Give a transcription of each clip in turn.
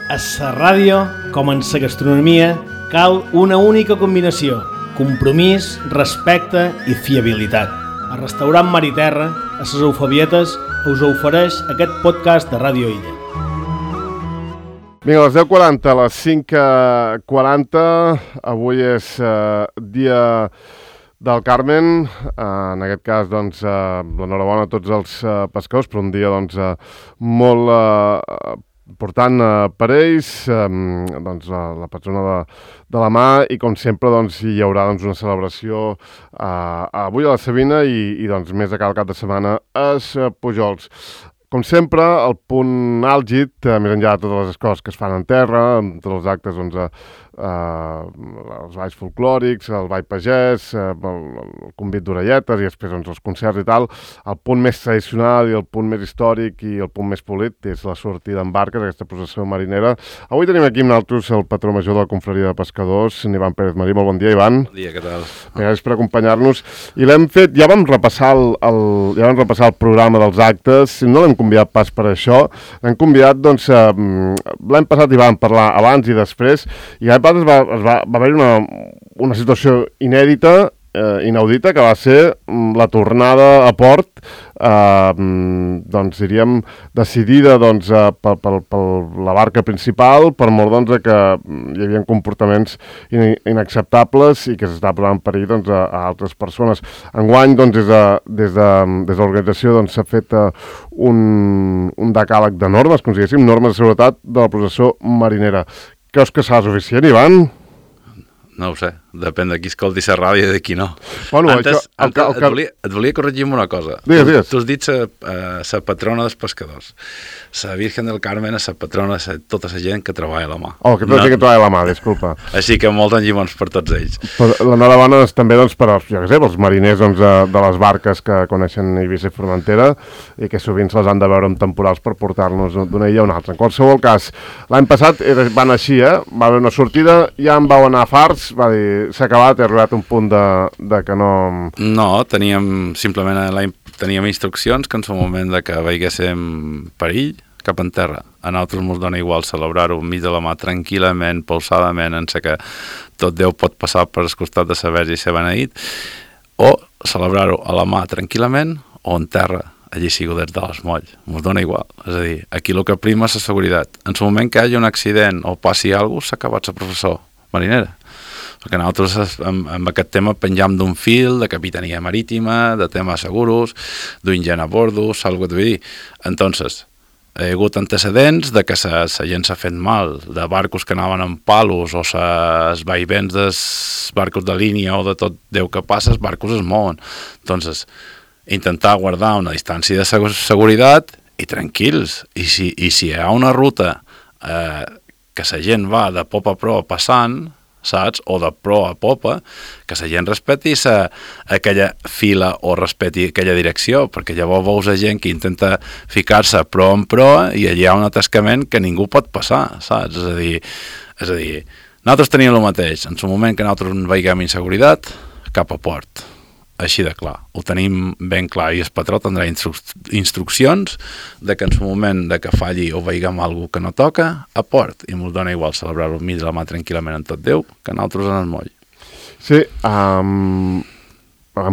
A la ràdio, com en la gastronomia, cal una única combinació: compromís, respecte i fiabilitat. El restaurant Mar i Terra, a les Eufabietes, us ofereix aquest podcast de Ràdio Illa. Vinga, a les 10:40, a les 5:40, avui és dia del Carmen. En aquest cas, doncs, l'enhorabona a tots els pescadors, però un dia doncs, molt important per ells, doncs, la patrona de la mà, i com sempre doncs, hi haurà doncs, una celebració avui a la Sabina i doncs, més de cada cap de setmana als Pujols. Com sempre, el punt àlgid, més enllà de totes les coses que es fan en terra, amb tots els actes, doncs, els balls folclòrics, el ball pagès, el convit d'orelletes i després doncs, els concerts i tal, el punt més tradicional i el punt més històric i el punt més polit és la sortida en barques, aquesta processó marinera. Avui tenim aquí amb nosaltres el patró major de la confraria de pescadors, Ivan Pérez Marí. Molt bon dia, Ivan. Bon dia, què tal? Gràcies per acompanyar-nos. I l'hem fet, ja vam repassar el programa dels actes, no l'hem convidat pas per això, l'hem convidat, doncs, l'hem passat i vam parlar abans i després, i l'any passat va haver-hi una situació inèdita, inaudita, que va ser la tornada a port, doncs diríem, decidida doncs, per la barca principal, per mort doncs, que hi havia comportaments inacceptables i que s'està posant en perill doncs, a altres persones. Enguany, doncs, des de l'organització doncs, s'ha fet un decàleg de normes, com diguéssim, normes de seguretat de la processó marinera. Creus que serà suficient, Ivan? No ho sé, depèn de qui escolti la ràdio i de qui no. Bueno, antes et volia corregir amb una cosa. Digues. Tu has dit la patrona dels pescadors. La Virgen del Carmen és la patrona de tota la gent que treballa a la mà. Oh, que tota la gent que treballa a la mà, disculpa. Així que molts enllimons per tots ells. L'enhorabona és també doncs, per als mariners doncs, de les barques que coneixen Eivissa i Formentera i que sovint se les han de veure en temporals per portar-nos d'una illa a una altra. En qualsevol cas, l'any passat van així, va haver una sortida, ja en vau anar farts, va dir, s'ha acabat, he arribat a un punt de que no... No, teníem instruccions que en el moment de que veiéssim perill cap en terra. A nosaltres ens dona igual celebrar-ho enmig de la mà tranquil·lament, pausadament, en sé que tot Déu pot passar per el costat de saber i ser beneït, o celebrar-ho a la mà tranquil·lament o en terra, allí sigo des de l'Esmoll. Ens dona igual. És a dir, aquí el que prima és la seguretat. En el moment que hi hagi un accident o passi alguna cosa, s'ha acabat la professó marinera. Perquè nosaltres amb aquest tema penjam d'un fil de capitania marítima, de temes seguros, d'un gent a bordo, saps el que t'ho vull dir? Entonces, hi ha hagut antecedents de que la gent s'ha fet mal, de barcos que anaven amb palos o els vaivents dels barcos de línia o de tot Déu que passa, els barcos es mouen. Entonces, intentar guardar una distància de seguretat i tranquils. I si hi ha una ruta que la gent va de popa a proa passant, saps? O de proa a popa, que la gent respeti aquella fila o respeti aquella direcció, perquè llavors veus gent que intenta ficar-se proa en proa i allà hi ha un atascament que ningú pot passar, saps? És a dir, nosaltres teníem el mateix. En el moment que nosaltres veiem inseguretat, cap a port. Així de clar. Ho tenim ben clar i el patró tindrà instruccions de que en el moment de que falli o veiem alguna que no toca, a port. I ens dona igual celebrar-ho enmig de la mà tranquil·lament en tot Déu que nosaltres en el moll. Sí, hem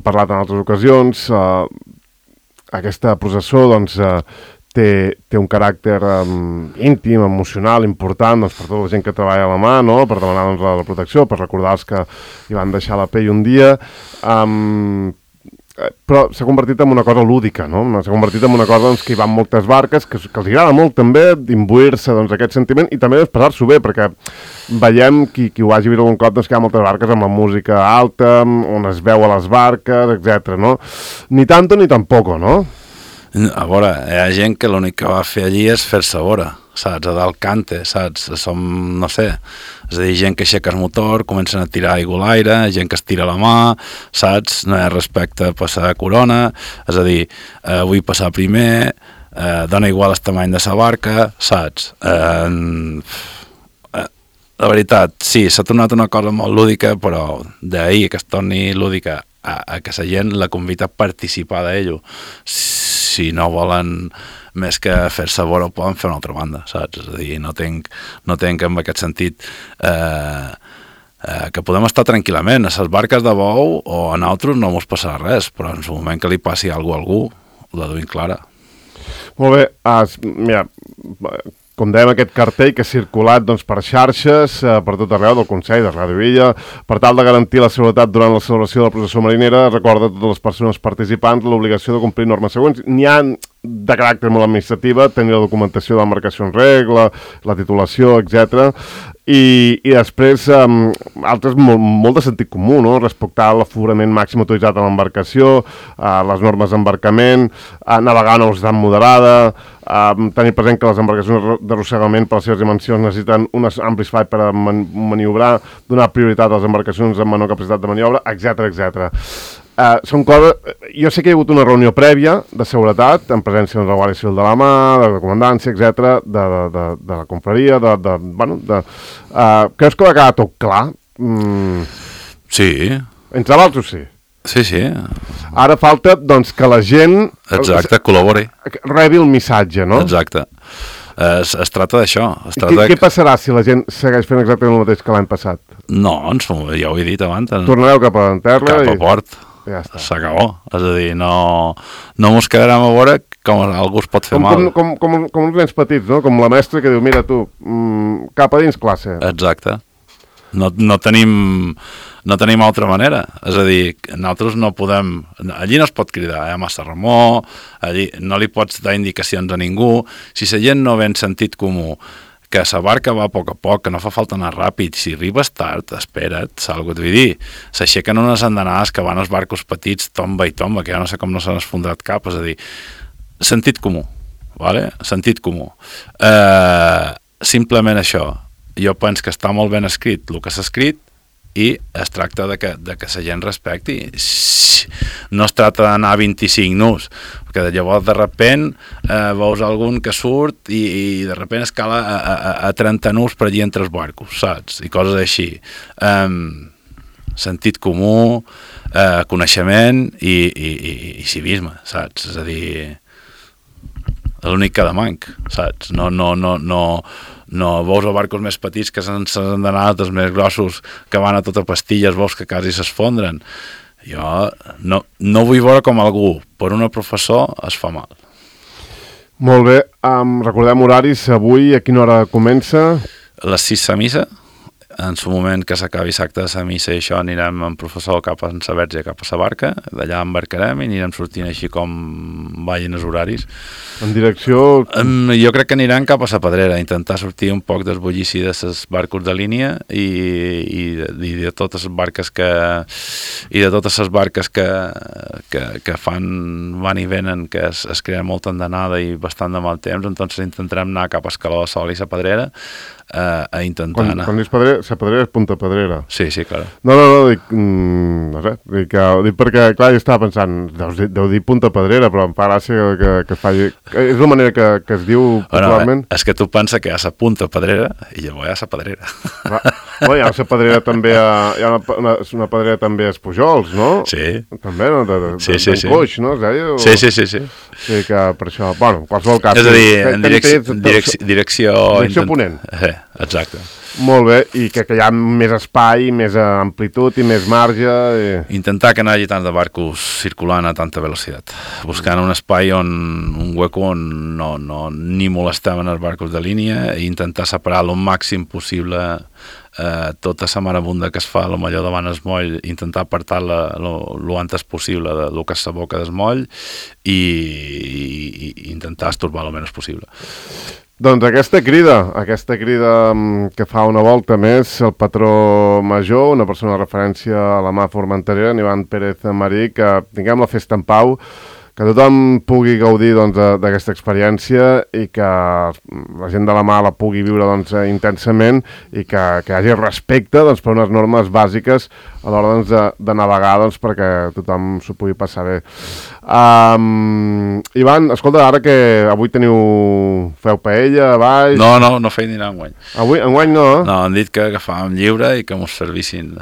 parlat en altres ocasions. Aquesta processó doncs, té un caràcter íntim, emocional, important doncs, per tota la gent que treballa a la mà, no? Per demanar doncs, la protecció, per recordar els que hi van deixar la pell un dia. Però s'ha convertit en una cosa lúdica, no? S'ha convertit en una cosa doncs, que hi van moltes barques, que els agrada molt també d'imbuir-se doncs, aquest sentiment i també d'expressar-s'ho bé, perquè veiem, qui ho hagi vist algun cop, doncs, que hi ha moltes barques amb la música alta, on es veu a les barques, etc. No? Ni tanto ni tampoco, no? A veure, hi ha gent que l'únic que va fer allí és fer-se a veure, saps? A dalt cante, saps? Som, no sé, és a dir, gent que aixeca el motor, comencen a tirar aigua a l'aire, gent que es tira la mà, saps? No hi ha respecte a passar corona, és a dir, vull passar primer, dona igual el tamany de la barca, saps? La veritat, sí, s'ha tornat una cosa molt lúdica, però d'ahir que es torni lúdica a que la gent la convida a participar d'ello. Si no volen més que fer-se veure ho poden fer una altra banda, saps? És a dir, no tenc en aquest sentit que podem estar tranquil·lament a les barques de bou o a nosaltres no mos passarà res, però en el moment que li passi alguna cosa a algú, la duim clara. Molt bé, mira, com dèiem, aquest cartell que ha circulat doncs, per xarxes, per tot arreu del Consell de Ràdio Illa, per tal de garantir la seguretat durant la celebració de la processó marinera, recorda a totes les persones participants l'obligació de complir normes següents. N'hi ha de caràcter molt administrativa, tenir la documentació de l'embarcació en regla, la titulació, etc. I després, altres molt de sentit comú, no? Respectar l'aforament màxim autoritzat a l'embarcació, les normes d'embarcament, navegar a una velocitat moderada, tenir present que les embarcacions d'arrossegament per les seves dimensions necessiten un ampli espai per a maniobrar, donar prioritat a les embarcacions amb menor capacitat de maniobra, etc. Són coses... Jo sé que hi ha hagut una reunió prèvia de seguretat, en presència de la Guàrdia Civil de la Mà, de la comandància, etc., de la confraria, creus que va quedar tot clar? Sí. Entre l'altre, sí. Sí. Ara falta, doncs, que la gent... Exacte, col·labori. Rebi el missatge, no? Exacte. Es tracta d'això. Què passarà si la gent segueix fent exactament el mateix que l'any passat? No, ja ho he dit abans. Tornareu cap a terra? Cap a port. Ja està. S'acabó. És a dir, no mos quedarem a veure com algú es pot fer mal. Com uns nens petits, no? Com la mestra que diu, mira tu, cap a dins classe. Exacte. No tenim altra manera. És a dir, nosaltres no podem... Allí no es pot cridar, massa remor, allí no li pots dar indicacions a ningú. Si la gent no ve en sentit comú, que la barca va a poc, que no fa falta anar ràpid, si arribes tard, espera't, saps el que t'ho vull dir? S'aixequen unes andanades que van als barcos petits, tomba i tomba, que ja no sé com no s'han esfondrat cap, és a dir, sentit comú, vale? Sentit comú. Simplement això, jo penso que està molt ben escrit el que s'ha escrit i es tracta de que la gent respecti. No es tracta d'anar a 25 nus, perquè llavors de repent veus algun que surt i de repent escala a 30 nus per allí entre els barcos, saps? I coses així. Sentit comú, coneixement i civisme, saps? És a dir, l'únic que demanc, saps? No veus a barcos més petits que s'han d'anar, els més grossos que van a tota pastilles, veus que quasi s'esfondren. Jo no vull veure com algú, per una professor, es fa mal. Molt bé, recordem horaris, avui a quina hora comença? A les 6 a missa, en el moment que s'acabi l'acte de la missa i això anirem amb professor cap a la Verge, cap a la barca, d'allà embarcarem i anirem sortint així com vagin els horaris. En direcció... Jo crec que anirem cap a la Pedrera, intentar sortir un poc del bullici de les barcos de línia i de totes les barques que fan van i venen, que es crea molta andanada i bastant de mal temps, doncs intentarem anar cap a Escaló de Sol i la Pedrera a intentar anar. Quan dius Pedrera, la Pedrera és Punta Pedrera. Sí, clar. No, dic, no sé, dic perquè, clar, jo estava pensant, deu dir Punta Pedrera, però em fa gràcia que es faci... És la manera que es diu popularment? És que tu pensa que hi ha la Punta Pedrera i llavors hi ha la Pedrera. Hi ha la Pedrera també, hi ha una Pedrera també a Espujols, no? Sí. També, no? Sí. Coix, no? Sí. Sí, que per això... Bueno, en qualsevol cas... És a dir, en direcció ponent. Exacte. Molt bé, i que hi ha més espai, més amplitud i més marge... Intentar que no hi hagi tant de barcos circulant a tanta velocitat. Buscant un espai un hueco on ni molestem en els barcos de línia i intentar separar el màxim possible tota la marabunda que es fa a lo millor davant el moll, intentar apartar-la lo antes possible de lo que és la boca del moll i intentar estorbar el menys possible. Doncs aquesta crida que fa una volta més el patró major, una persona de referència a la mà formenterera, en Ivan Pérez Marí, que tinguem la festa en pau, que tothom pugui gaudir d'aquesta experiència i que la gent de la mà la pugui viure intensament i que hi hagi respecte per unes normes bàsiques a l'hora de navegar perquè tothom s'ho pugui passar bé. Ivan, escolta, ara que avui feu paella a baix... No feien dinar enguany. Enguany no? No, han dit que agafàvem lliure i que mos servissin.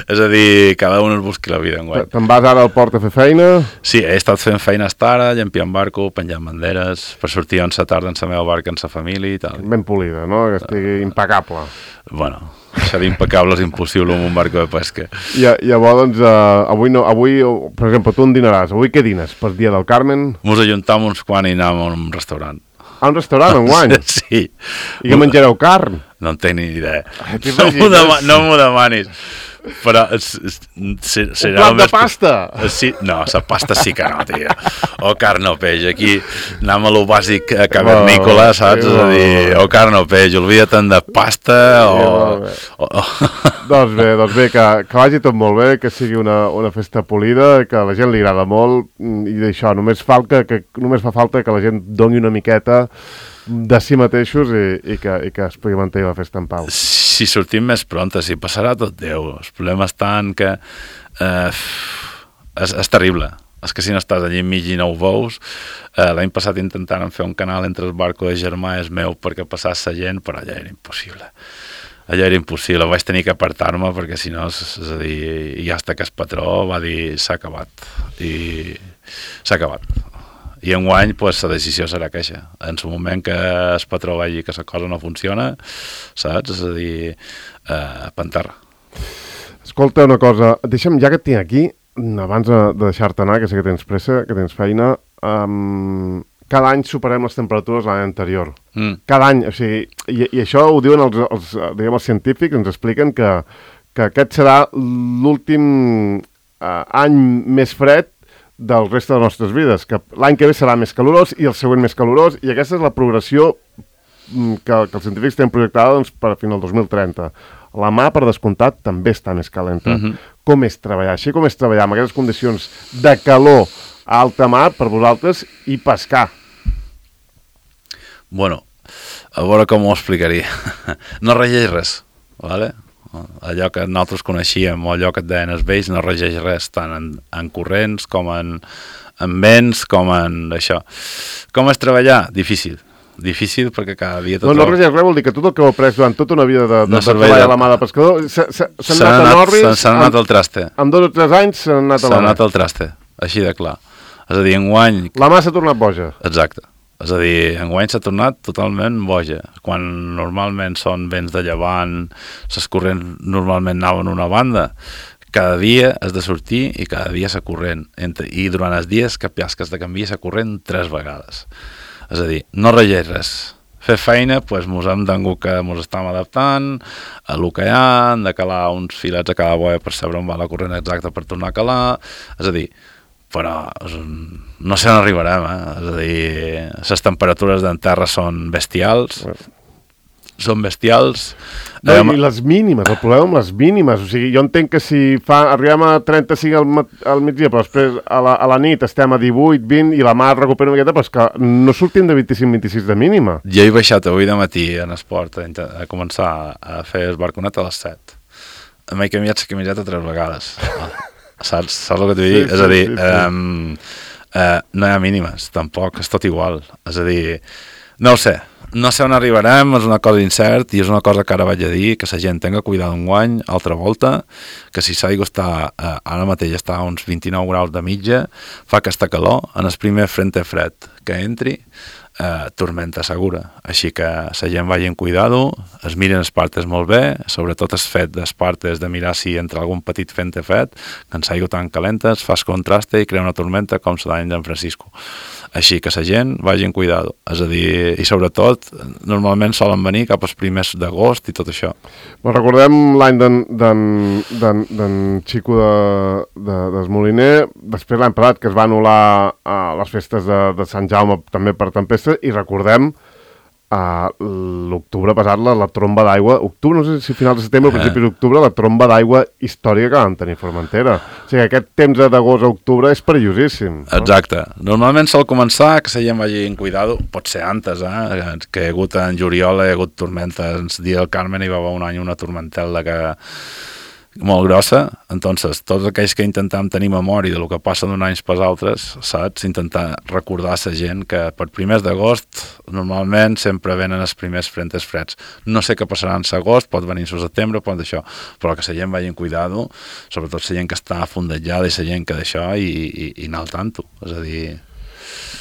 És a dir, cada un es busqui la vida enguany. Te'n vas ara al port a fer feina? Sí, he estat fent feina ara, llampiant barco, penjant banderes, per sortir on sa tarda en la meva barca amb sa família i tal. Ben polida, no? Que estigui impecable. Bueno, això d'impecable és impossible amb un barco de pesca. I llavors, doncs, avui, per exemple, tu on dinaràs? Avui què dines? Per dia del Carmen? Mos ajuntam uns quants i anem a un restaurant. A un restaurant enguany? Sí. I que menjareu carn? No en tinc ni idea. No m'ho demanis. Però serà un plat de pasta? Sí, no, la pasta sí que no, tio. O carn o peix. Aquí anem a lo bàsic cavernícola, saps? És a dir, o carn o peix. Oblida't de pasta o... Doncs bé, que vagi tot molt bé, que sigui una festa polida, que a la gent li agrada molt, i d'això, només fa falta que la gent doni una miqueta de si mateixos i que es pugui mantenir la festa en pau. Si sortim més pronta, si passarà tot Déu. El problema està en que és terrible. És que si no estàs allí enmig i no ho veus, l'any passat intentàrem fer un canal entre el barco de germà és meu perquè passés la gent, però allà era impossible. Allà era impossible, vaig tenir que apartar-me perquè si no, és a dir, i hasta que el patró va dir s'ha acabat. I s'ha acabat. I enguany, pues, la decisió serà queixa. En el moment que el patró vegi que la cosa no funciona, saps? És a dir, panterra. Escolta una cosa, deixa'm, ja que et tinc aquí, abans de deixar-te anar, que sé que tens pressa, que tens feina, cada any superem les temperatures de l'any anterior. Cada any, o sigui, i això ho diuen els científics, ens expliquen que aquest serà l'últim any més fred del reste de les nostres vides, que l'any que ve serà més calorós i el següent més calorós, i aquesta és la progressió que els científics tenen projectada doncs, per a final del 2030. La mar, per descomptat, també està més calenta. Com és treballar? Així com és treballar amb aquestes condicions de calor a alta mar per vosaltres i pescar? Bueno, a veure com ho explicaria. No regeix res, ¿vale? Allò que nosaltres coneixíem o allò que et deien els vells no regeix res, tant en corrents com en vents, com en això. Com és treballar? Difícil perquè cada dia... No regeix res, vol dir que tot el que heu après durant tota una vida de treball a la mà de pescador s'han anat a Norris... S'han anat al traste. En 2 o 3 anys s'han anat a la mà. S'han anat al traste, així de clar. És a dir, enguany... La mà s'ha tornat boja. Exacte. És a dir, enguany s'ha tornat totalment boja. Quan normalment són vents de llevant, les corrents normalment anaven una banda, cada dia has de sortir i cada dia s'ha corrent. I durant els dies que has de canviar s'ha corrent 3 vegades. És a dir, no regeix res. Fer feina, doncs mos hem tingut que mos estem adaptant a lo que hi ha, hem de calar uns filets a cada boia per saber on va la corrent exacta per tornar a calar. És a dir, però no sé on arribarem, És a dir, les temperatures d'en terra són bestials. Són bestials. No, i les mínimes, el problema amb les mínimes. O sigui, jo entenc que si arribem a 35 al migdia, però després a la nit estem a 18, 20 i la mar recupera una miqueta, però és que no sortim de 25-26 de mínima. Jo he baixat avui de matí en esport a començar a fer el barconet a les 7. M'he canviat la camiseta 3 vegades. Saps el que t'ho dic? És a dir, no hi ha mínimes, tampoc, és tot igual. És a dir, no ho sé on arribarem, és una cosa incert i és una cosa que ara vaig a dir, que la gent tenga cuidado enguany, altra volta, que si l'aigua està, ara mateix està a uns 29 graus de mitja, fa aquesta calor, en el primer frente fred que entri, tormenta segura. Així que la gent vagi amb cuidado, es miren els partes molt bé, sobretot el fet dels partes de mirar si entra algun petit frente fred, que en l'aigua tan calenta es fa contraste i crea una tormenta com la d'any d'en Francisco. Així que la gent vagi amb cuidado. És a dir, i sobretot, normalment solen venir cap als primers d'agost i tot això. Recordem l'any d'en Xico del Moliner, després l'any passat que es va anul·lar a les festes de Sant Jaume també per tempesta, i recordem l'octubre passat la tromba d'aigua, octubre, no sé si final de setembre o principis d'octubre, la tromba d'aigua històrica que vam tenir a Formentera. O sigui, aquest temps d'agost a octubre és perillosíssim. Exacte. Normalment sol començar que la gent vagi en cuidado, pot ser antes, que hi ha hagut en juliol, hi ha hagut tormentes. El dia del Carmen hi va haver un any una tormentela molt grossa, entonces tots aquells que intentem tenir memòria de lo que passa d'un any pels altres, saps? Intentar recordar a la gent que per primers d'agost normalment sempre venen els primers frentes freds. No sé què passarà en l'agost, pot venir el setembre, pot d'això, però que la gent vagi en cuidado, sobretot la gent que està fondejada i la gent que d'això i anar al tanto, és a dir...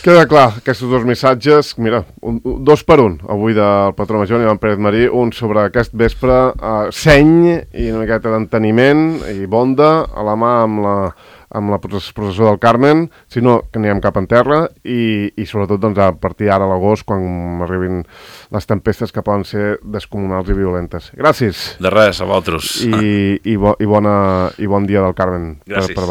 Queda clar, aquests dos missatges, mira, 2 per 1, avui del patró major, Ivan Pérez Marí, un sobre aquest vespre, seny i una miqueta d'enteniment i bonda a la mà amb la processó del Carmen, si no, que anirem cap en terra i sobretot doncs, a partir d'ara a l'agost, quan arribin les tempestes que poden ser descomunals i violentes. Gràcies. De res, a vosaltres. I bon dia del Carmen. Gràcies. Per